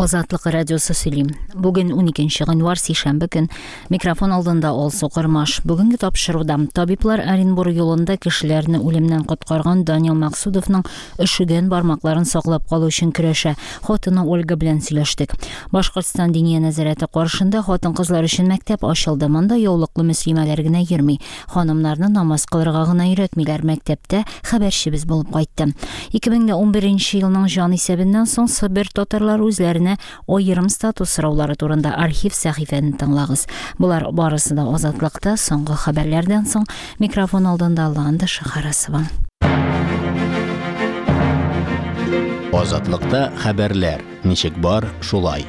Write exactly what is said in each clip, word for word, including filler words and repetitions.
Азатлык радиосы сөйли. Бүген уникенче гыйнвар, сишәмбе көн. Микрофон алдында Алсу Кырмаш. Бүгенге тапшыруда табиблар Оренбург юлында кешеләрне үлемнән коткарган Данил Максудовның өшегән бармакларын саклап калу өчен көрәшә. Хатыны Ольга белән сөйләштек. Башкортстан Диния нәзарәте каршында хатын-кызлар өчен мәктәп ачылды. Монда яулыклы мөслимәләр генә йөрми. Ханымнарны намаз кылырга гына өйрәтмиләр. Мәктәптә хәбәрчебез булып кайтты. ике мең унберенче елның җан исәбеннән соң Себер татарлары үзләренә аерым статус сораулары турында архив сәхифәне тыңлагыз. Булар барысы да Азатлыкта соңгы хәбәрләрдән соң микрофон алдында Ландыш Харасова. Азатлыкта хәбәрләр ничек бар шулай.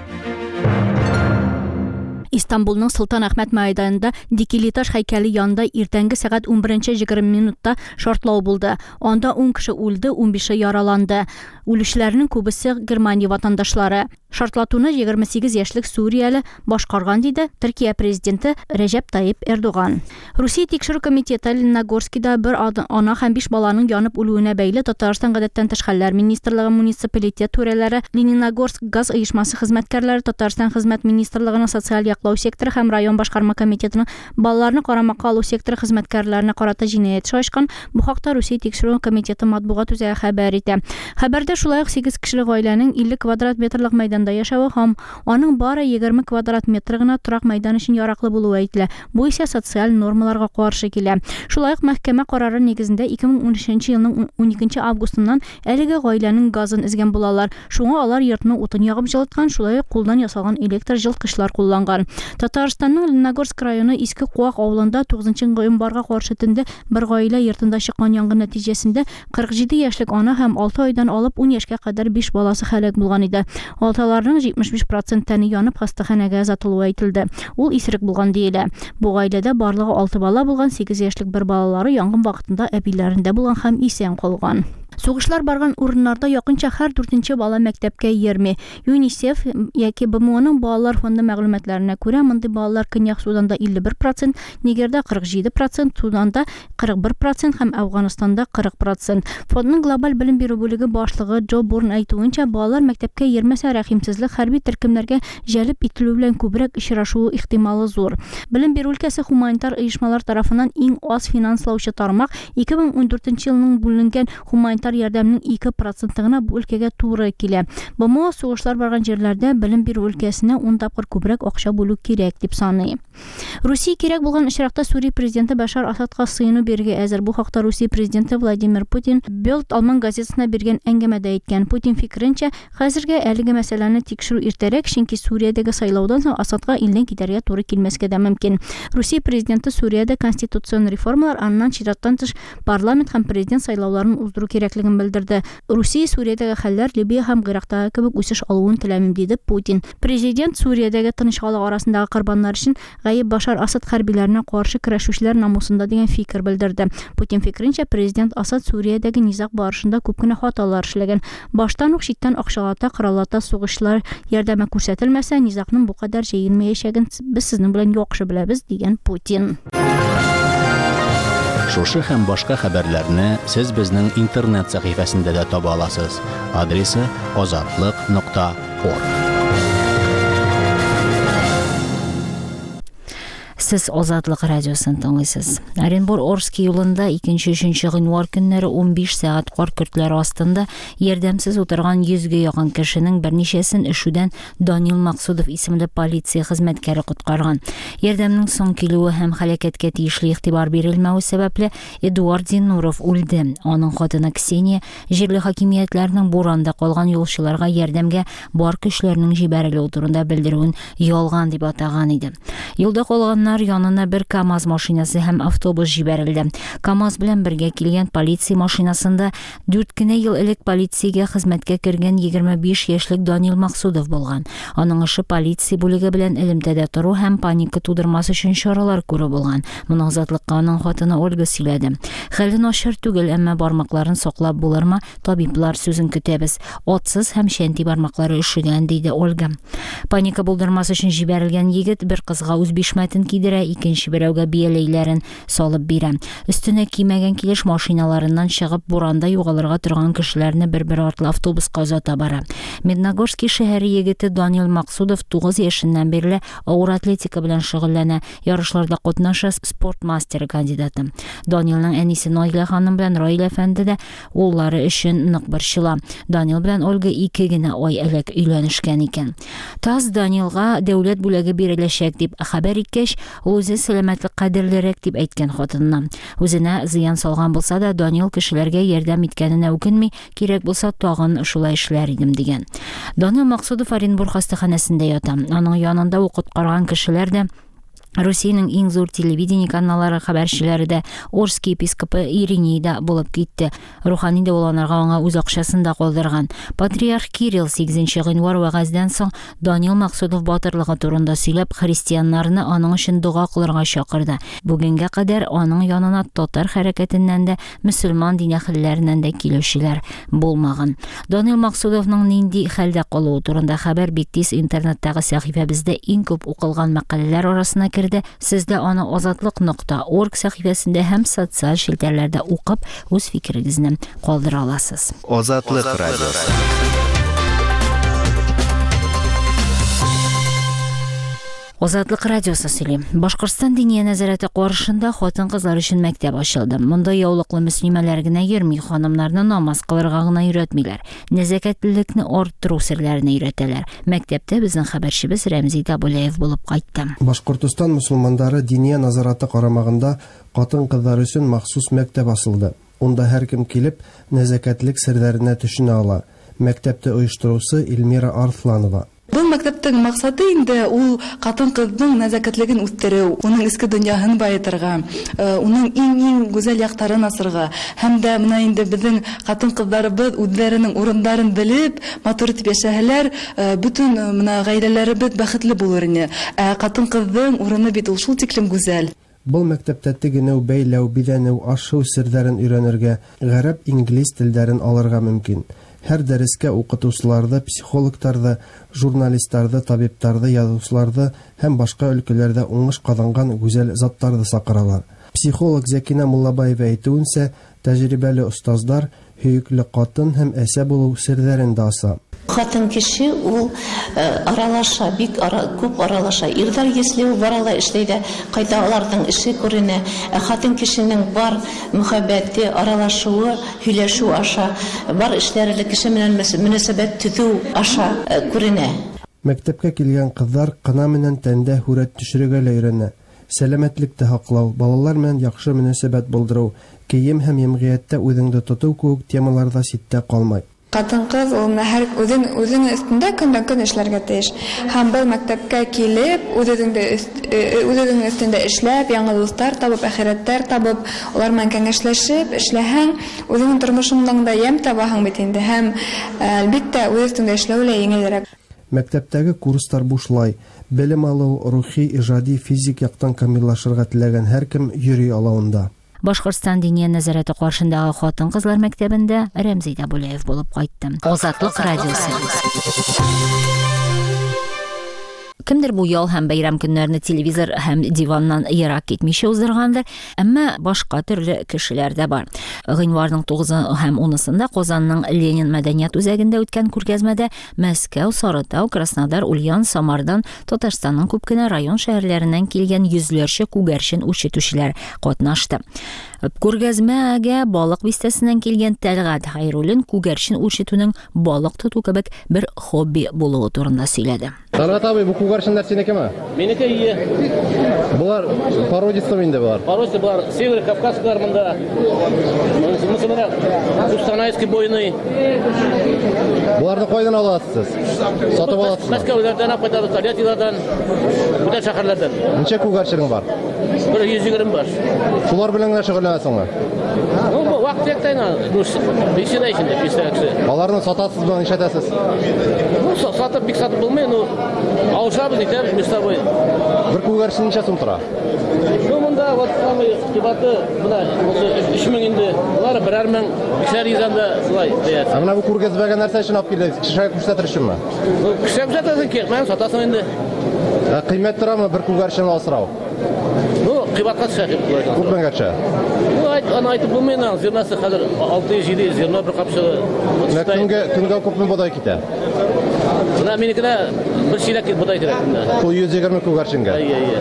Истанбулның Солтан Әхмәт мәйданында Дикилиташ һәйкәле янында иртәнге сәгать унберенче егерме минутта шартлау булды. Анда ун кеше үлде, унбише яраланды. Үлүчеләрнең күбесе Германия ватандашлары. Шартлатуны егерме сигез яшьлек Сүрияле башкарган, диде Төркия президенты Рәҗәп Тайип Эрдоган. Русия тикшерү комитеты Лениногорскида бер ана һәм биш баланың янып үлүенә бәйле Татарстан гадәттән тыш хәлләр министрлыгы, муниципалитет түрәләре, Лениногорск газ оешмасы хезмәткәрләре, Татарстан хезмәт министрлыгының социаль яклау секторы һәм район башкарма комитетының балаларны карамакка алу секторы хезмәткәрләренә карата җинаять эше ачкан. Бу хакта Русия тикшерү комитеты матбугат үзәге хәбәр итә. Хәбәрдә шулай ук сигез кешелек гаиләнең илле квадрат метрлык мәйданда яшәве һәм аның бары егерме квадрат метр гына торак мәйдан өчен яраклы булуы әйтелә. Бу исә социаль нормаларга каршы килә. Шулай ук мәхкәмә карары нигезендә ике мең унөченче елның уникенче августыннан әлеге гаиләнең газын өзгән булалар. Шуңа алар йортны утын ягып җылыткан, шулай ук кулдан ясалган электр җылыткычлар кулланган. Татарстанның Лениногорск районы Иске Куак авылында тугызынчы гыйнварга каршы төндә бер гаилә йортында чыккан янгын нәтиҗәсендә кырык җиде яшьлек ана һәм алты айдан алып ун яшькә кадәр биш баласы һәлак булган иде. Алталарның җитмеш биш процент тәне янып хастаханәгә озатылуы әйтелде. Ул исерек булган диелә. Бу гаиләдә барлыгы алты бала булган, сигез яшьлек бер балалары янгын вакытында әбиләрендә булган һәм исән калган. Сугышлар барган урыннарда якынча һәр дүртенче бала мәктәпкә йөрми. ЮНИСЕФ яки Б М Оның балалар фонды мәгълүматларына күрә, мондый балалар Көньяк Суданда илле бер процент, Нигерда кырык җиде процент, Суданда кырык бер процент һәм Әфганстанда кырык процент. Фондның глобаль белем бирү бүлеге башлыгы Джо Бурн әйтүенчә, балалар мәктәпкә йөрмәсә, рәхимсезлек хәрби төркемнәргә җәлеп ителү белән күбрәк очрашуы ихтималы зур. Белем бирү өлкәсе гуманитар оешмалар тарафыннан иң аз финанслаучы тармак. Ике мең ундүртенче елның бүленгән гуманитар ярдәмнең ике проценты гына бу өлкәгә туры килә. Б М О сугышлар барган җирләрдә белем бирү өлкәсенә ун тапкыр күбрәк акча бүлү кирәк дип саный. Русия кирәк булган очракта Сүрия президенты Башар Асадка сыену бирергә әзер. Бу хакта Русия президенты Владимир Путин Бельд алман газетасына биргән әңгәмәдә әйткән. Путин фикеренчә, хәзергә әлеге мәсьәләне тикшерү иртәрәк, чөнки Сүриядәге сайлаудан соң Асадка илдән китәргә туры килмәскә дә мөмкин. Русия президенты Сүриядә конституцион реформалар, аннан чираттан тыш парламент һәм президент сайлауларын уздыру кирәклеген белдерде. Русия Сүриядәге хәлләр Либия һәм Гыйрактагы кебек үсеш алуын теләмим, диде Путин. Президент Сүриядәге тыныч халык арасындагы корбаннар өчен гаеп Башар Асад хәрбиләренә каршы көрәшүчеләр намусында дигән фикер белдерде. Путин фикеренчә, президент Асад Сүриядәге низаг барышында күп кенә хаталар эшләгән. Баштан ук читтән акчалата, кораллата сугышлар ярдәме күрсәтелмәсә, низагның бу кадәр җәелмәячәген без сезнең белән яхшы беләбез, дигән Путин. Шушы һәм башка хәбәрләрне сез безнең интернет сәхифәсендә дә таба аласыз. Адресы азатлык нокта орг. Сез Азатлык радиосын тыңлыйсыз. Оренбур-Орский юлында икенче, өченче гыйнвар көннәре унбиш сәгать кар көртләре астында ярдәмсез утырган йөзгә якын кешенең берничәсен өшүдән Данил Максудов исемле полиция хезмәткәре коткарган. Ярдәмнең соң килүе һәм һәлакәткә тиешле игътибар бирелмәве сәбәпле Эдуард Зиннуров үлде. Аның хатыны Ксения җирле хакимиятләрнең буранда калган юлчыларга ярдәмгә бар көчләрнең җибәрелүе турында белдерүен ялган дип атаган иде. Юлда калганнар янына бер КАМАЗ машинасы һәм автобус җибәрелде. КАМАЗ белән бергә килгән полиция машинасында дүрт кенә ел элек полициягә хезмәткә кергән егерме биш яшьлек Данил Максудов булган. Аның эше полиция бүлеге белән элемтәдә тору һәм паника тудырмас өчен чаралар күрү булган. Моны Азатлыкка аның хатыны Ольга сөйләде. Хәле начар түгел, әмма бармакларын саклап булырмы? Табиблар сүзен көтәбез. Атсыз һәм чәнти бармаклары өшегән, диде Ольга. Паника булдырмас өчен җибәрелгән егет бер кызга үз бишмәтен кидерә, икенче берәүгә бияләйләрен салып бирә. Өстенә кимәгән килеш машиналарыннан чыгып буранда югалырга торган кешеләрне бер-бер артлы автобуска озата бара. Медногорский шәһәре егете Данил Максудов тугыз яшеннән бирле авыр атлетика белән шөгыльләнә, ярышларда катнаша, спорт мастеры кандидаты. Данилның әнисе Наилә ханым белән Раил әфәнде дә уллары өчен нык борчыла. Данил белән Ольга ике генә ай элек өйләнешкән икән. ТАСС Данилга дәүләт бүләге биреләчәк дип хәбәр иткәч, ул үзе сәламәтлек кадерлерәк дип әйткән хатынына. Үзенә зыян салган булса да, Данил кешеләргә ярдәм иткәненә үкенми, кирәк булса тагын шулай эшләр идем дигән. Данил Максудов Оренбург хастаханәсендә ята. Аның янында укыткарган кешеләр дә, Русиянең иң зур телевидение каналлары хәбәрчеләре дә, Орский епископы Ириней да булып китте. Рухани дәваланырга аңа үз акчасын да калдырган. Патриарх Кирилл сигезенче гыйнвар вәгазьдән соң Данил Максудов батырлыгы турында сөйләп, христианнарны аның өчен дога кылырга чакырды. Бүгенгә кадәр аның янына татар хәрәкәтеннән дә, мөселман дин әһелләреннән дә килүчеләр булмаган. Данил Максудовның нинди хәлдә калуы турында хәбәр бик тиз интернеттагы сәхифәбездә иң күп укылган мәкаләләр арасына керде. Сез дә аны азатлык нокта орг сәхифәсендә һәм социаль челтәрләрдә укып, үз фикерегезне калдыра аласыз. Азатлык радиосы. Азатлык радиосы сөйли. Башкортстан Диния нәзарәте каршында хатын-кызлар өчен мәктәп ачылды. Монда яулыклы мөслимәләр генә йөрми, ханымнарны намаз кылырга гына өйрәтмиләр. Нәзакәтлелекне арттыру серләрен өйрәтәләр. Мәктәптә безнең хәбәрчебез Рәмзи Табулаев булып кайтты. Башкортстан мөселманнары Диния нәзарәте карамагында хатын-кызлар өчен махсус мәктәп ачылды. Унда һәркем килеп нәзакәтлек серләренә төшенә ала. Мәктәптә оештыручы Эльмира Арсланова. Был мәктәптең маҡсаты инде ул ҡатын-ҡыҙҙың нәзәкәтлеген үҫтереү, уның эске донъяһын байытырға, уның иң-иң гүзәл яҡтарын асырға. Һәм дә бына инде беҙҙең ҡатын-ҡыҙҙарыбыҙ үҙҙәренең урындарын белеп, матур итеп йәшәһәләр, бөтөн бына ғаиләләребеҙ бәхетле булыр ине. Ә ҡатын-ҡыҙҙың урыны бит ул шул тиклем гүзәл. Был мәктәптә тегенеү, бәйләү, биҙәнеү, аш-һыу серҙәрен өйрәнергә, ғәрәп, инглиз телдәрен алырға мөмкин. Һәр дәрескә уҡытыусыларҙы, психологтарҙы, журналистарҙы, табиптарҙы, яҙыусыларҙы һәм башҡа өлкәләрҙә уңыш ҡаҙанған гүзәл заттарҙы саҡыралар. Психолог Зәкинә Муллабаева әйтеүенсә, тәжрибәле остаздар һөйөклө ҡатын һәм әсә булыу серҙәрен дә аса. Хатын кеше ул аралаша, бик ара, күп аралаша. Ирҙәр если барала эшләй ҙә, ҡайта аларҙың эше күренә. Ә хатын кешенең бар мөхәббәте, аралашыуы, һөйләшеү аша, бар эшләре лә кеше менән мөнәсәбәт төҙөү аша күренә. Мәктәпкә килгән ҡыҙҙар ҡына менән тәндә һүрәт төшөрөргә лә өйрәнә. Сәләмәтлекте һаҡлау, балалар менән яҡшы мөнәсәбәт булдырыу, кейем һәм йәмғиәттә үҙеңде тотоу кеүек темалар ҙа ситтә ҡалмай. Ҡатын-ҡыҙ ул менә һәр үҙен үҙенең өҫтөндә көндән-көн эшләргә тейеш. Һәм был мәктәпкә килеп, үҙ-үҙеңде үҙ-үҙеңдең өҫтөндә эшләп, яңы дуҫтар табып, әхирәттәр табып, улар менән кәңәшләшеп эшләһәң, үҙеңдең тормошоңдан да йәм табаһың бит инде. Һәм әлбиттә үҙ өҫтөңдә эшләү лә еңелерәк. Мәктәптәге курстар бушлай. Белем алыу, рухи, ижади, физик яҡтан камиллашырға теләгән һәр кем йөрөй ала унда. Башкортстан Диния нәзарәте каршындагы хатын-кызлар мәктәбендә Рәмзи Табулаев булып кайтты. Азатлык радиосы. Кемдер бу ял һәм бәйрәм көннәрне телевизор һәм диваннан ерак китмичә уздыргандыр, әмма башка төрле кешеләр дә бар. Гыйнварның тугызы һәм унысында Казанның Ленин мәдәният үзәгендә үткән күргәзмәдә Мәскәү, Сарытау, Краснодар, Ульян, Самардан, Татарстанның күп кенә район шәһәрләреннән килгән йөзләрчә күгәрчен үрчетүчеләр катнашты. Күргәзмәгә Балык бистәсеннән килгән Тәлгать Хәйруллин күгәрчен үрчетүнең балык тоту кебек бер хобби булуы турында сөйләде. Тәлгать абый, бу күгәрченнәр синекеме? Минеке ие. Булар породистый инде булар. Породистый булар, Северо Кавказскийлар монда. Мисалга, Кустанайский бойный. Буларны кайдан аласыз? Сатып аласыз? Мәскәүләрдән алып кайтабыз, Тольяттилардан, бүтән шәһәрләрдән. Ничә күгәрченең бар? Бер йөз егерме баш. Шулар белән генә шөгыльләнәсеңме? Ну, бу вакыт яктайна, ну, бишедә инде, бишедә кеше. Аларны сатасызмы, нишләтәсез? Ну, сатып бик сатып булмый, ну, алышабыз, итәбез между собой. Бер күгәрчен ничә сум тора? Ну, монда вот самый кыйбаты, менә өч мең инде. Булар берәр мең, бишәр йөз анда шулай бәясе. Ә менә бу күргәзмәгә нәрсә өчен алып килдегез? Кешегә күрсәтер өченме? Ну, кешегә күрсәтәсең, кирәкмәгән сатасың инде. Ә кыйммәт торамы бер күгәрчен асрау? Ну, кыйбатка төшә дип болай. Күпмегә төшә? Ну, айт, аны айтып булмый инде, зернасы хәзер алты йөз, җиде йөз зерно бер капчыгы. Менә көнгә, көнгә күпме бодай китә? Менә минекенә бер чиләк бодай кирәк көнгә. Шул йөз егерме күгәрченгә. Әйе, әйе.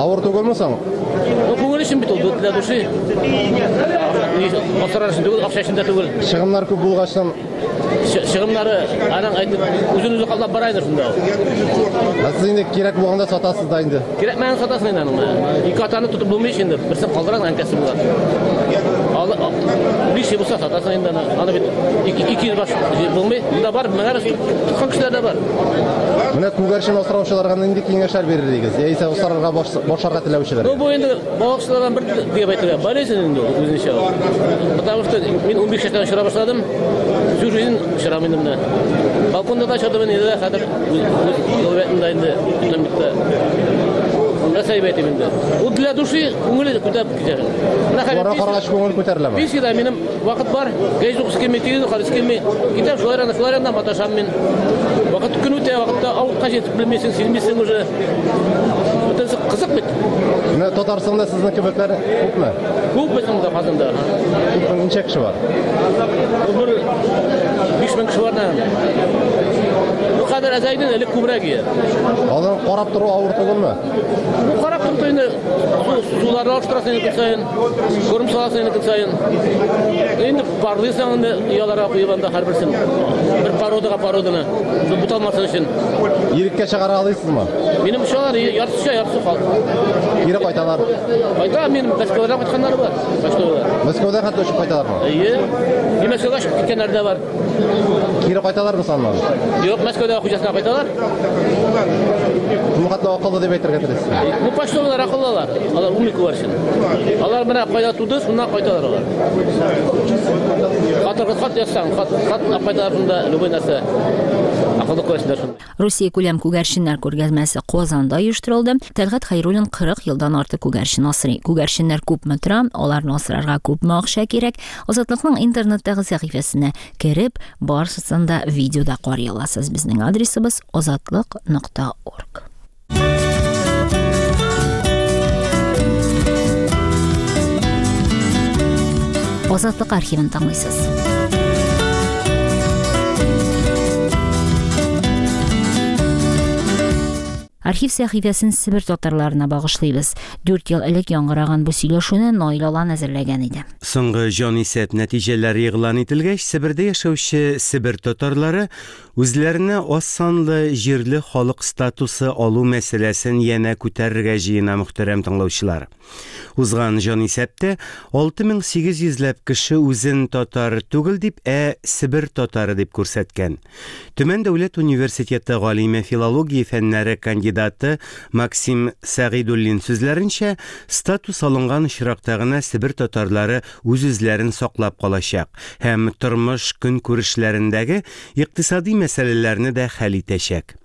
Авыр түгелме соң? Ну, күңел өчен бит ул, для души. Асрар өчен түгел, акча өчен дә түгел. Чыгымнар күп булгачтан Чыгымнары аның әйтеп, үзен үзе каплап бара инде шунда. Ә сез инде кирәк булганда сатасыз да инде. Кирәкмәгән сатасың инде аның. Ике атаны тотып булмый инде, берсен калдырасың, әнкәсе була. Алы, биш булса сатасың инде аны. Аны бит ике, ике йөз баш булмый. Монда бар, меңәр тоткан кешеләр дә бар. Менә күгәрчен асраучыларга нинди киңәшләр бирер идегез? Яисә асрарга башларга теләүчеләргә? Ну, бу инде балыкчылардан бер дип әйтергә болезнь инде ул үзенчә. Потому что мин унбиш яшьтән очыра башладым. Всю жизнь очырам инде менә. Балконда да очырдым инде, дә хәзер юл инде бөтен битте. Нәрсә дип әйтим инде? Ул для души күңеле күтәреп китә. Менә хәзер Бара карагач күңел күтәреләме? Пенсиядә минем вакыт бар. Гәзит укысы килми, телевизор карыйсы килми. Китәм шулай янына, шулай янына маташам мин. Вакыт көн үтә, вакытта авылга җитеп белмисең, сизмисең уже. Бөтенесе кызык бит. Менә Татарстанда сезнең кебекләр күпме? Күп безнең монда Казанда. Күпме, ничә кеше бар? Бер биш мең кеше бар да. Бу кадәр әзәйдән элек күбрәк иде. Алар карап тору авыр түгелме? Бу карап тору инде суларны алыштырасың инде көн саен, корм саласың инде көн саен. Инде парлыйсың инде ояларга куеп анда һәрберсен. Бер породага породаны буталмасын өчен. Иреккә чыгара аласызмы? Минем очалар яртысы оча, яртысы кал. Кире кайталар. Кайта, минем Мәскәүдән кайтканнары бар. Мәскәүдә. Мәскәүдә хәтта очып кайталармы? Әйе. Мин Мәскәүгә чыгып киткәннәр дә бар. Кире кайталармы саннан? Юк, Мәскәүдә хуҗасына кайталар. Бу хәтле акыллы дип әйтергә телисез? Бу почтовыйлар акыллылар. Алар умный күгәрчен. Алар менә кайда туды, шуннан кайталар алар. Хат, хат язсаң, хат, хат алып кайталар шунда, любой нәрсә. Акыллы күгәрченнәр шунда. Русия күләм күгәрченнәр күргәзмәсе Казанда оештырылды. Тәлгать Хәйруллин кырык елдан артык күгәрчен асрый. Күгәрченнәр күпме тора, аларны асрарга күпме акча кирәк? Азатлыкның интернеттагы сәхифәсенә кереп, барысын да видеода карый аласыз. Безнең адресыбыз азатлык нокта орг. Азатлык архивын тыңлыйсыз. Архив сәхифәсен Себер татарларына багышлыйбыз. Дүрт ел элек яңгыраган бу сөйләшүне Наил Алан әзерләгән иде. Соңгы җанисәп нәтиҗәләре игълан ителгәч, Себердә яшәүче Себер татарлары үзләренә аз санлы җирле халык статусы алу мәсьәләсен янә күтәрергә җыена, мөхтәрәм тыңлаучылар. Узган җанисәптә алты мең сигез йөзләп кеше үзен татар түгел дип, ә Себер татары дип күрсәткән. Төмән дәүләт университеты галиме филология фәннәре кандидаты Максим Сәгыйдуллин сүзләренчә, статус алынган очракта гына Себер татарлары үз-үзләрен саклап калачак һәм тормыш көнкүрешләрендәге икътисади мәсьәләләрне дә хәл итәчәк.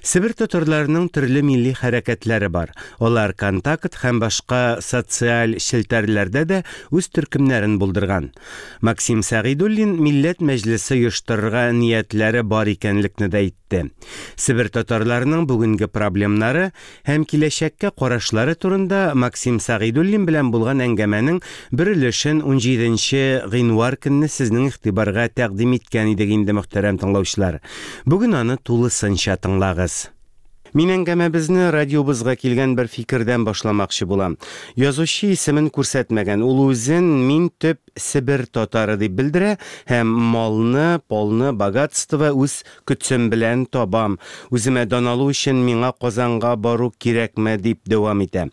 Себер татарларының төрле милли хәрәкәтләре бар. Алар Контакт һәм башка социаль челтәрләрдә дә үз төркемнәрен булдырган. Максим Сәгыйдуллин Милләт мәҗлесе оештырырга ниятләре бар икәнлекне дә әйтте. Себер татарларының бүгенге проблемнары һәм киләчәккә карашлары турында Максим Сәгыйдуллин белән булган әңгәмәнең бер өлешен унҗиденче гыйнвар көнне сезнең игътибарга тәкъдим иткән идек инде, мөхтәрәм тыңлаучылар. Бүген аны тулысынча тыңлагыз. Мин әңгәмәбезне радиобызга килгән бер фикердән башламакчы булам. Язучы исемен күрсәтмәгән, ул үзен мин төп Себер татары дип белдерә һәм малны, полны, богатство үз көтсем белән табам. Үземә дан алу өчен миңа Казанга бару кирәкме дип дәвам итә.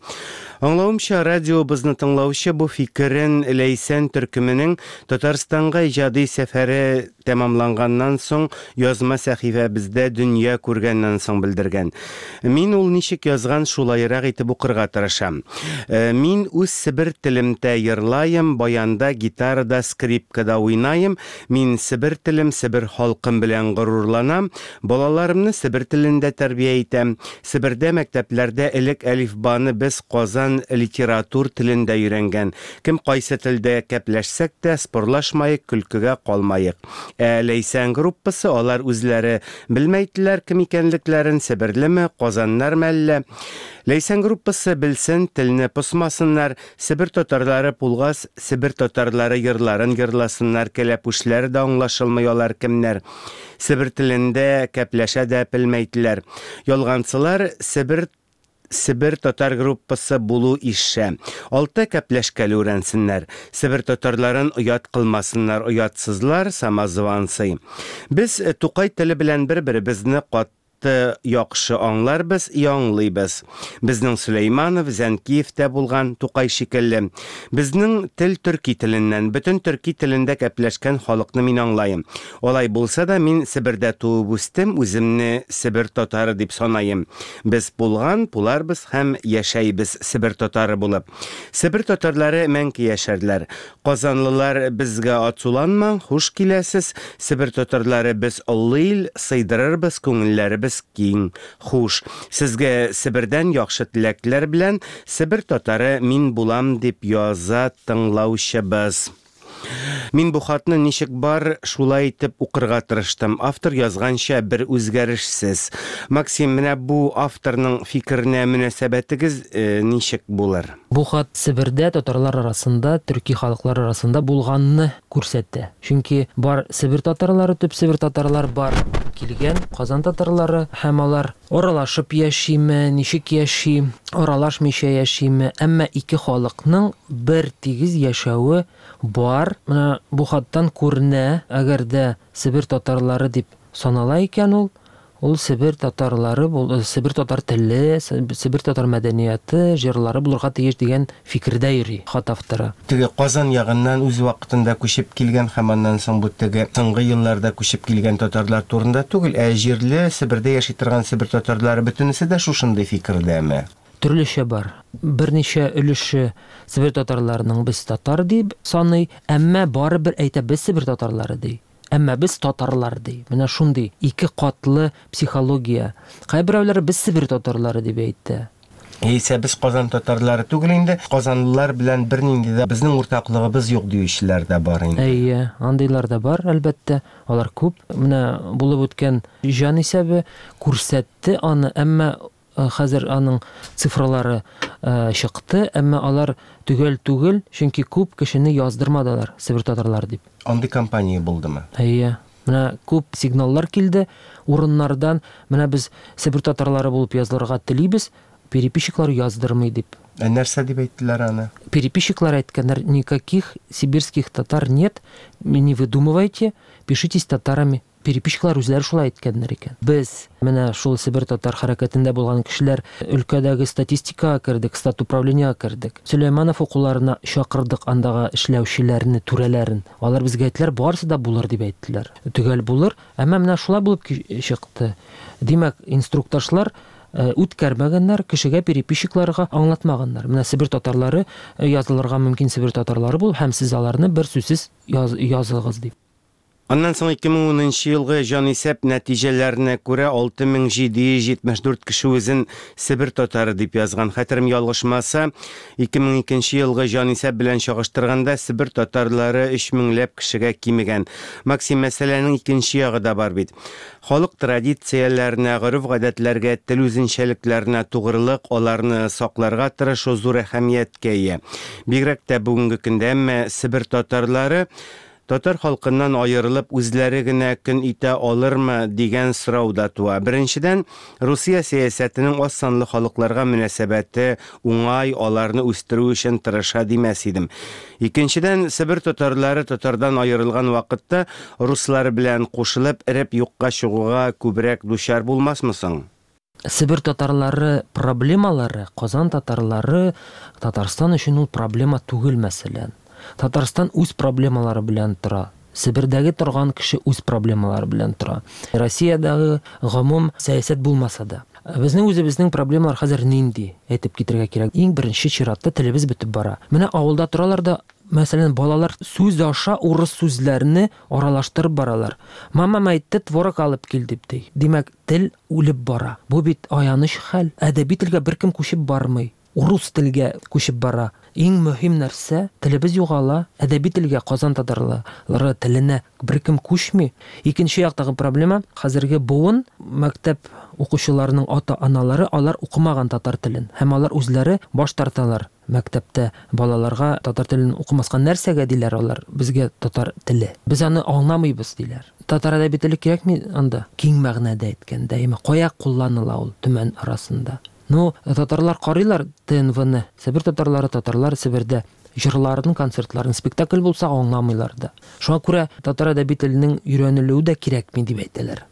Аңлавымча, радиобызны тыңлаучы бу фикерен Ләйсән төркеменең Татарстанга иҗади сәфәре тәмамланганнан соң язма сәхифәбездә дөнья күргәннән соң белдергән. Мин ул ничек язган шулайрак итеп укырга тырышам. Мин үз Себер телемдә йырлайым, баянда, гитарада, скрипкада уйнайым. Мин Себер телем, Себер халкым белән горурланам. Балаларымны Себер телендә тәрбия итәм. Себердә мәктәпләрдә элек әлифбаны без Казан литератур телендә өйрәнгән. Кем кайсы телдә кәпләшсәк тә, спорлашмайык, көлкегә калмайык. Ә Ләйсән группасы алар үзләре белмәйделәр кем икәнлекләрен, себерлеме, Казаннар мәллә. Ләйсән группасы белсен, телне посмасыннар, Себер татарлары пулгас, Себер татарлары йырларын йырласыннар, кәләпүшләре дә аңлашылмый алар кемнәр. Себер телендә кәпләшә дә белмәйделәр. Ялганчылар Себер Себер татар группасы булу ише. Алты кәпләшкәле үрәнсеннәр. Себер татарларын оят кылмасыннар, оятсызлар, самозванцы. Без Тукай теле белән бер-беребезне катты яхшы аңларбыз, яңлыйбыз. Безнең Сөләйманов, Зәнкиев тә булган Тукай шикелле. Безнең тел төрки теленнән, бөтен төрки телендә кәпләшкән халыкны мин аңлайым. Алай булса да мин Себердә туып үстем, үземне Себер татары дип санайым. Без булган, буларбыз һәм яшәйбез Себер татары булып. Себер татарлары мәңге яшәрләр. Казанлылар безгә ацуланмаң, хуш киләсез. Себер татарлары без олы ил, сыйдырырбыз, күңелләребез киң. Хуш, сезгә Себердән яхшы теләкләр белән Себер татары мин булам дип яза тыңлаучыбыз. Мин бу хатны ничек бар шулай итеп укырга тырыштым. Автор язганча бер үзгәрешсез. Максим, менә бу авторның фикеренә мөнәсәбәтегез э, ничек булыр? Бу хат Себердә татарлар арасында, төрки халыклар арасында булганны күрсәтә. Чөнки бар Себер татарлары, төп Себер татарлар бар килгән Казан татарлары һәм алар аралашып яшиме, ничек яши, аралашмыйча яшиме, әмма ике халыкның бер тигез яшәве бар. Менә бу хаттан күренә, әгәр дә Себер татарлары дип санала икән ул, ул Себер татарлары, Себер татар теле, Себер татар мәдәнияте, җырлары булырга тиеш дигән фикердә йөри хат авторы. Теге Казан ягыннан үз вакытында күчеп килгән һәм аннан соң бу теге соңгы елларда күчеп килгән татарлар турында түгел, ә җирле Себердә яши торган Себер татарлары бөтенесе дә шушындый фикердәме? Төрлечә бар. Берничә өлеше Себер татарларының без татар дип саный, әмма барыбер әйтә без Себер татарлары ди. Әмма без татарлар ди. Менә шундый ике катлы психология. Кайберәүләр без Себер татарлары дип әйтте. Яисә без Казан татарлары түгел инде, казанлылар белән бернинди дә безнең уртаклыгыбыз юк диючеләр дә бар инде. Әйе, андыйлар да бар, әлбәттә. Алар күп. Менә булып үткән җан исәбе күрсәтте аны, әмма хәзер аның цифралары чыкты, әмма алар төгәл түгел, чөнки күп кешене яздырмадылар Себер татарлары дип. Андый компания булдымы? Әйе. Менә күп сигналлар килде урыннардан. Менә без Себер татарлары булып язылырга телибез, переписчиклар яздырмый дип. Ә нәрсә дип әйттеләр аны? Переписчиклар әйткәннәр, никаких сибирских татар нет, не выдумывайте, пишитесь татарами. Переписчиклар үзләре шулай әйткәннәр икән. Без менә шул Себер татар хәрәкәтендә булган кешеләр өлкәдәге статистикага кердек, статуправлениега кердек. Сөләйманов укуларына чакырдык андагы эшләүчеләрне, түрәләрен. Алар безгә әйттеләр, барысы да булыр дип әйттеләр. Төгәл булыр, әмма менә шулай булып чыкты. Димәк, инструктажлар үткәрмәгәннәр, кешегә переписчикларга аңлатмаганнар. Менә Себер татарлары язылырга мөмкин Себер татарлары бул һәм сез аларны бер сүзсез языгыз дип. Аннан соң ике мең унынчы елгы җанисәп нәтиҗәләренә күрә алты мең җиде йөз җитмеш дүрт кеше үзен Себер татары дип язган. Хәтерем ялгышмаса, ике мең икенче елгы җанисәп белән чагыштырганда Себер татарлары өч меңләп кешегә кимегән. Максим, мәсьәләнең икенче ягы да бар бит. Халык традицияләренә, гореф-гадәтләргә, тел үзенчәлекләренә тугрылык, аларны сакларга тырышу зур әһәмияткә ия. Бигрәк тә бүгенге көндә, әмма Себер татарлары татар халкыннан аерылып үзләре генә көн итә алырмы дигән сорау да туа. Беренчедән, Русия сәясәтенең аз санлы халыкларга мөнәсәбәте уңай, аларны үстерү өчен тырыша димәс идем. Икенчедән, Себер татарлары татардан аерылган вакытта руслар белән кушылып эреп юкка чыгуга күбрәк дучар булмасмы соң? Себер татарлары проблемалары, Казан татарлары Татарстан өчен ул проблема түгел, мәсәлән. Татарстан үз проблемалары белән тора. Себердәге торган кеше үз проблемалары белән тора. Россиядәге гомум сәясәт булмаса да. Безнең үзебезнең проблемалар хәзер нинди, әйтеп китергә кирәк. Иң беренче чиратта телебез бетеп бара. Менә авылда торалар да, мәсәлән, балалар сүз аша урыс сүзләрне аралаштырып баралар. Мамам әйтте, творог алып кил дип ди. Димәк, тел үлеп бара. Бу бит аяныч хәл. Әдәби телгә беркем күчеп бармый. Урыс телгә күчеп бара. Иң мөһим нәрсә, телебез югала, әдәби телгә, Казан татарлары теленә беркем күчми. Икенче яктагы проблема, хәзерге буын мәктәп укучыларының ата-аналары, алар укымаган татар телен һәм алар үзләре баш тарталар. Мәктәптә балаларга татар телен укымаска нәрсәгә диләр алар, безгә татар теле. Без аны аңламыйбыз диләр. Татар әдәби теле кирәкми анда, киң мәгънәдә әйткәндә, әмма кая кулланыла ул Төмән арасында? Ну, татарлар карыйлар Т Н В-ны. Себер татарлары, татарлар Себердә җырларын, концертларын, спектакль булса аңламыйлар да. Шуңа күрә татар әдәби теленең өйрәнелүе дә кирәкми дип әйтәләр.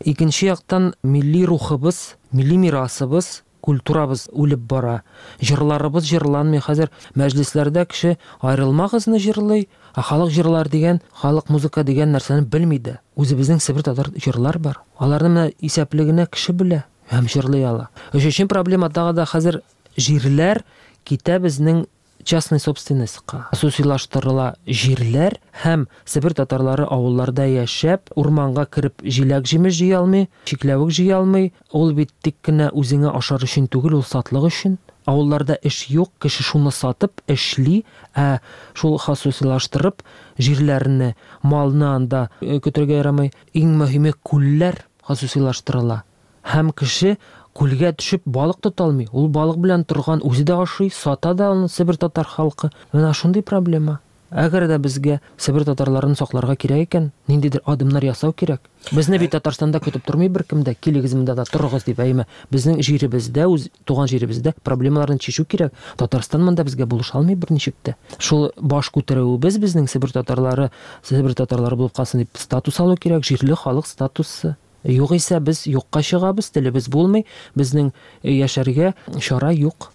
Икенче яктан милли рухыбыз, милли мирасыбыз, культурабыз үлеп бара. Җырларыбыз җырланмый. Хәзер мәҗлесләрдә кеше аерылмагызны җырлый, ә халык җырлар дигән, халык музыка дигән нәрсәне белми дә. Үзебезнең Себер татар җырлар бар. Аларны менә исәпле генә кеше белә һәм җырлый ала. Өченче проблема тагы да хәзер җирләр китә безнең частный собственностька. Хосусилаштырыла җирләр һәм Себер татарлары авылларда яшәп, урманга кереп җиләк җимеш җыя алмый, чикләвек җыя алмый. Ул бит тик кенә үзеңә ашар өчен түгел, ул сатлык өчен. Авылларда эш юк, кеше шуны сатып эшли, ә шул хосусилаштырып җирләрне, малны анда, э, көтергә ярамый. Иң мөһиме күлләр хосусилаштырыла. Һәм кеше күлгә төшеп балык тота алмый. Ул балык белән торган, үзе дә ашый, сата да аны Себер татар халкы. Менә шундый проблема. Әгәр дә безгә Себер татарларын сакларга кирәк икән, ниндидер адымнар ясау кирәк. Безне бит Татарстанда көтеп тормый беркем дә, килегез монда да торыгыз дип, әйме. Безнең җиребездә, үз туган җиребездә проблемаларны чишү кирәк. Татарстан монда безгә булыша алмый берничек тә. Шул баш күтәрүебез безнең Себер татарлары, Себер татарлары булып калсын дип статус алу кирәк, җирле халык статусы. Югыйсә без юкка чыгабыз, телебез булмый, безнең яшәргә чара юк.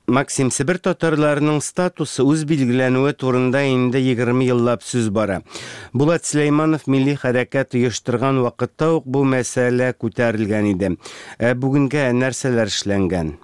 Максим, Себер татарларының статусы үз билгеләнүе турында инде егерме еллап сүз бара. Булат Сөләйманов милли хәрәкәт оештырган вакытта ук бу мәсьәлә күтәрелгән иде. Ә бүгенгә нәрсәләр эшләнгән?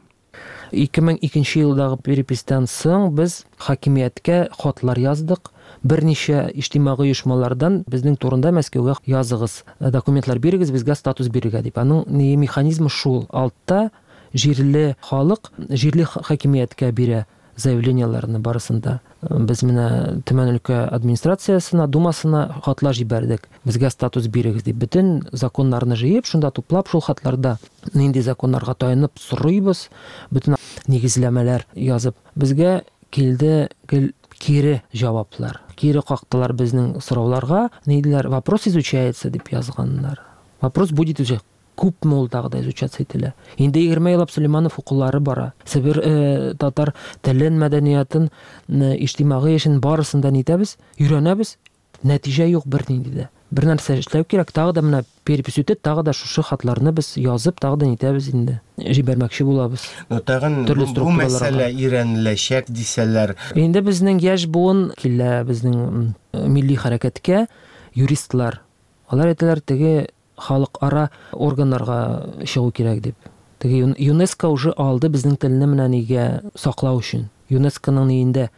Ике мең икенче елдагы переписьтән соң без хакимияткә хатлар яздык. Берничә иҗтимагый оешмалардан безнең турында Мәскәүгә языгыз, документлар бирегез, безгә статус бирергә дип. Аның ни механизмы шул. Алтта җирле халык җирле хакимияткә бирә заявлениеләрне барысында. Без менә Төмән өлкә администрациясенә, думасына хатлар җибәрдек. Безгә статус бирегез дип. Бөтен законнарны җыеп, шунда туплап, шул хатларда нинди законнарга таянып сорыйбыз, бөтен нигезләмәләр язып. Безгә килде гел кире җаваплар. Кире кактылар безнең сорауларга. Ни диделәр? Вопрос изучается дип язганнар. Вопрос будет изучаться. Күпме ул тагы да изучаться ителә. Инде егерме еллап Сөләйманов укулары бара. Себер, э, татар телен, мәдәниятын, э, иҗтимагый эшен барысын да нитәбез, өйрәнәбез. Нәтиҗә юк бернинди дә. Бер нәрсә эшләү кирәк, тагы да менә перепись үтә, тагы да шушы хатларны без язып, тагы да нитәбез инде. Җибәрмәкче булабыз. Но тагын Төрле бу, бу структураларга. мәсьәлә өйрәнеләчәк дисәләр. Инде безнең яшь буын килә безнең, м, милли хәрәкәткә юристлар. Алар әйтәләр, теге халыкара органнарга чыгу кирәк дип. Теге Юн-, ЮНЕСКО уже алды безнең телне менә нигә саклау өчен. ЮНЕСКОның ниендә,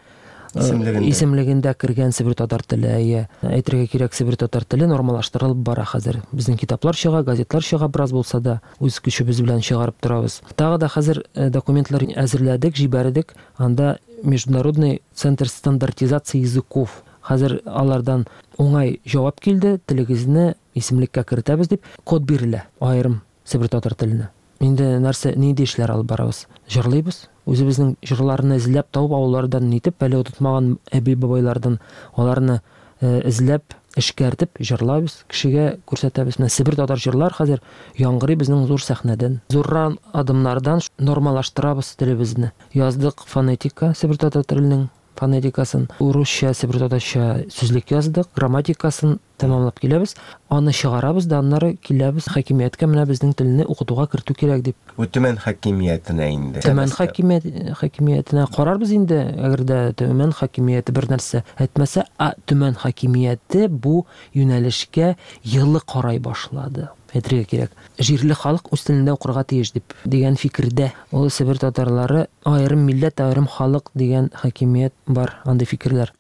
э, Исемлегендә. исемлегендә кергән Себер татар теле, әйе. Әйтергә кирәк, Себер татар теле нормалаштырылып бара хәзер. Безнең китаплар чыга, газетлар чыга, бераз булса да үз көчебез белән чыгарып торабыз. Тагы да хәзер, э, документлар әзерләдек, җибәрдек. Анда Международный центр стандартизации языков. Хәзер алардан уңай җавап килде, телегезне исемлеккә кертәбез дип код бирелә аерым Себер татар теленә. Инде нәрсә, нинди эшләр алып барабыз? Җырлыйбыз. Үзебезнең җырларны эзләп табып, авыллардан нитеп, әле онытмаган әби-бабайлардан аларны, э, эзләп, эшкәртеп җырлабыз, кешегә күрсәтәбез. Менә Себер татар җырлар хәзер яңгырый безнең зур сәхнәдән. Зуррак адымнардан нормалаштырабыз телебезне. Яздык фонетика Себер татар теленең фонетикасын, урысча, себер татарча сүзлек яздык, грамматикасын тәмамлап киләбез. Аны чыгарабыз да, аннары киләбез хакимияткә, менә безнең телне укытуга кертү кирәк дип. Бу Төмән хакимиятенә инде. Төмән хакимият-, хакимиятенә карарбыз инде, әгәр дә Төмән хакимияте бер нәрсә әйтмәсә, а Төмән хакимияте бу юнәлешкә елы карай башлады. әйтергә кирәк. Җирле халык үз телендә укырга тиеш дип дигән фикердә. Ул Себер татарлары аерым милләт, аерым халык дигән хакимият бар, андый фикерләр.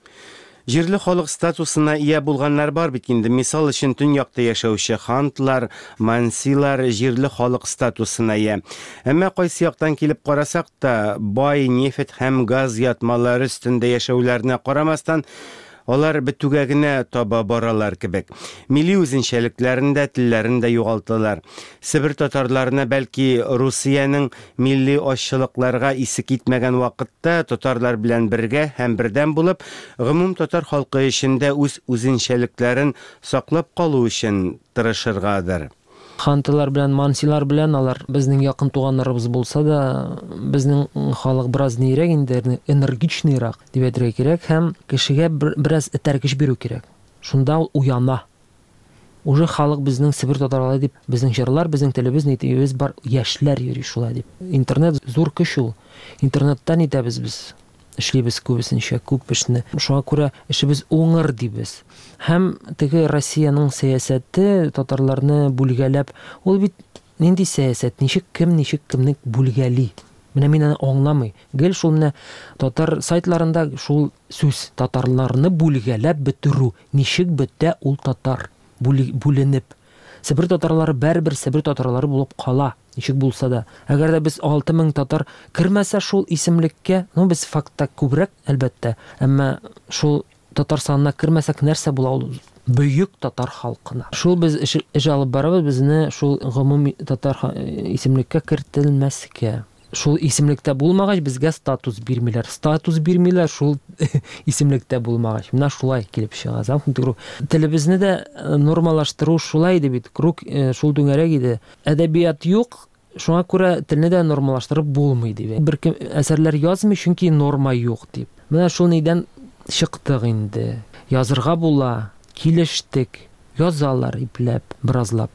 Җирле халык статусына ия булганнар бар бит инде. Мисал өчен төньякта яшәүче хантлар, мансилар җирле халык статусына ия. Әмма кайсы яктан килеп карасак та, бай нефть һәм газ ятмалары өстендә яшәүләренә карамастан, алар бетүгә генә таба баралар кебек. Милли үзенчәлекләрен дә, телләрен дә югалталар. Себер татарларына бәлки Русиянең милли азчылыкларга исе китмәгән вакытта татарлар белән бергә һәм бердәм булып, гомум татар халкы эчендә үз үзенчәлекләрен саклап калу өчен тырышыргадыр. Хантылар белән, мансилар белән алар безнең якын туганнарыбыз булса да, безнең халык бераз нирәк инде, энергичныйрак дип әйтергә кирәк һәм кешегә бераз этәргеч бирү кирәк. Шунда ул уяна. Уже халык безнең Себер татарлары дип, безнең җырлар, безнең телебез, нитебез бар, яшьләр йөри шулай дип. Интернет зур көч ул. Интернеттан итәбез без. Эшлибез күбесенчә, күп эшне. Шуңа күрә эшебез уңыр дибез. Һәм теге Россиянең сәясәте татарларны бүлгәләп, ул бит нинди сәясәт, ничек кем, ничек кемне бүлгәли. Менә мин аны аңламый. Гел шул менә татар сайтларында шул сүз, татарларны бүлгәләп бетерү. Ничек бетә ул татар бүленеп. Себер татарлары бәрбер Себер татарлары булып кала, ничек булса да. Әгәр дә без алты мең татар кермәсә шул исемлеккә, ну без фактта күбрәк, әлбәттә, әмма шул татар санына кермәсәк нәрсә була ул бөек татар халкына. Шул без эш, эш алып барабыз, безне шул гомуми татар исемлеккә кертелмәскә. Шул исемлектә булмагач, безгә статус бирмиләр. Статус бирмиләр шул исемлектә булмагач. Менә шулай килеп чыга. Замкнутый круг. Телебезне дә нормалаштыру шулай иде бит. Круг шул түңәрәк иде. Әдәбият юк, шуңа күрә телне дә нормалаштырып булмый дип. Беркем әсәрләр язмый, чөнки норма юк дип. Менә шул нидән чыктык инде. Язырга була, килештек, язалар ипләп, беразлап.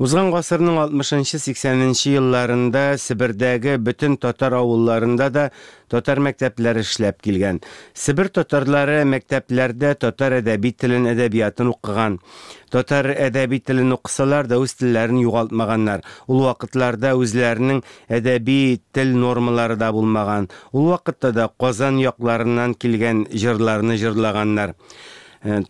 Узган гасырның алтмышынчы сиксәненче елларында Себердәге бөтен татар авылларында да татар мәктәпләре эшләп килгән. Себер татарлары мәктәпләрдә татар әдәби телен, әдәбиятын укыган. Татар әдәби телен укысалар да үз телләрен югалтмаганнар. Ул вакытларда үзләренең әдәби тел нормалары да булмаган. Ул вакытта да Казан якларыннан килгән җырларны җырлаганнар.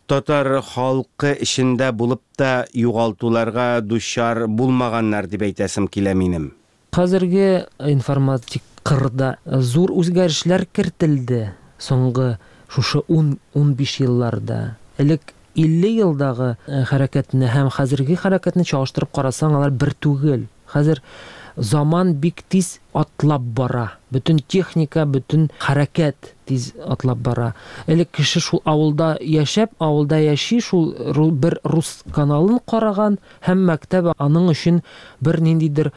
Татар халкы эчендә булып та югалтуларга дучар булмаганнар дип әйтәсем килә минем. Хәзерге информатик кырда зур үзгәрешләр кертелде соңгы шушы ун-унбиш елларда. Элек илле елдагы хәрәкәтне һәм хәзерге хәрәкәтне чагыштырып карасаң, алар бер түгел. Хәзер заман бик тиз атлап бара. Бөтен техника, бөтен хәрәкәт тиз атлап бара. Элек кеше шул авылда яшәп, авылда яши, шул бер рус каналын караган һәм мәктәп аның өчен бер ниндидер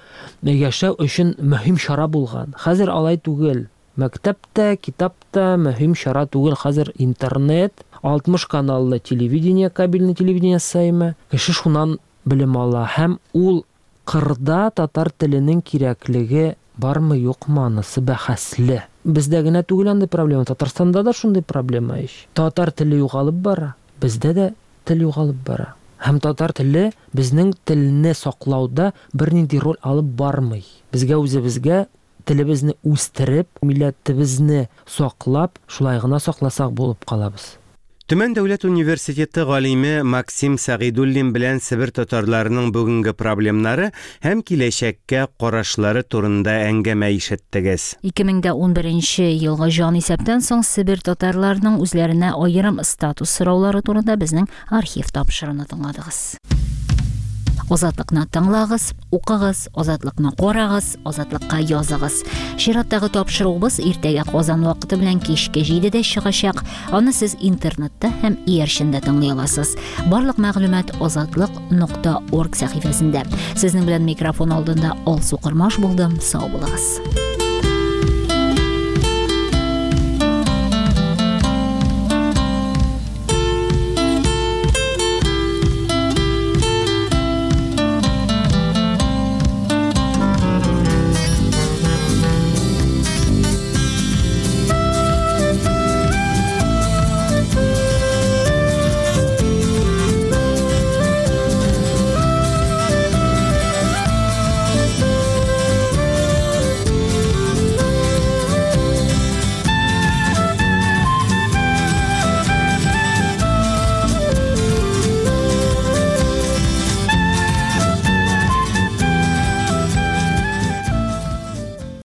яшәү өчен мөһим чара булган. Хәзер алай түгел. Мәктәп тә, китап та мөһим чара түгел. Хәзер интернет, алтмыш каналлы телевидение, кабельный телевидение саймы. Кеше шуннан белем ала һәм ул кырда татар теленең кирәклеге бармы юкмы анысы бәхәсле. Бездә генә түгел андый проблема, Татарстанда да шундый проблема ич. Татар теле югалып бара, бездә дә тел югалып бара. Һәм татар теле безнең телне саклауда бернинди роль алып бармый. Безгә үзебезгә телебезне үстереп, милләтебезне саклап, шулай гына сакласак булып калабыз. Төмән дәүләт университеты галиме Максим Сәгыйдуллин белән Себер татарларының бүгенге проблемнары һәм киләчәккә карашлары турында әңгәмә ишеттегез. ике мең дә унберенче елгы җан исәптән соң Себер татарларының үзләренә аерым статус сораулары турында безнең архив тапшыруны тыңладыгыз. Азатлыкны тыңлагыз, укыгыз, азатлыкны карагыз, азатлыкка языгыз. Чираттагы тапшыруыбыз иртәгә Казан вакыты белән кичке җидедә чыгачак. Аны сез интернетта һәм иярчендә тыңлый аласыз. Барлык мәгълүмат азатлык нокта орг сәхифәсендә. Сезнең белән микрофон алдында Алсу Кормаш булдым. Сау булыгыз.